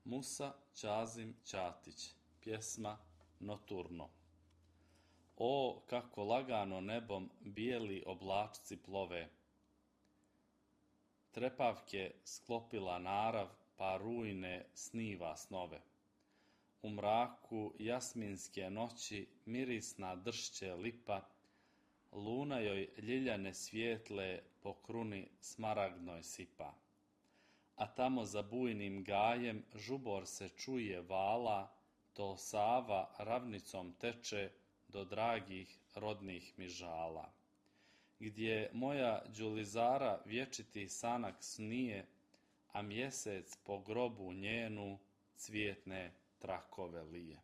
Musa Ćazim Ćatić. Pjesma Noturno. O, kako lagano nebom bijeli oblačci plove, trepavke sklopila narav, pa rujne sniva snove. U mraku jasminske noći mirisna dršće lipa, luna joj ljiljane svijetle po kruni smaragdnoj sipa. A tamo za bujnim gajem žubor se čuje vala, to Sava ravnicom teče do dragih rodnih mi žala. Gdje moja đulizara vječiti sanak snije, a mjesec po grobu njenu cvjetne trakove lije.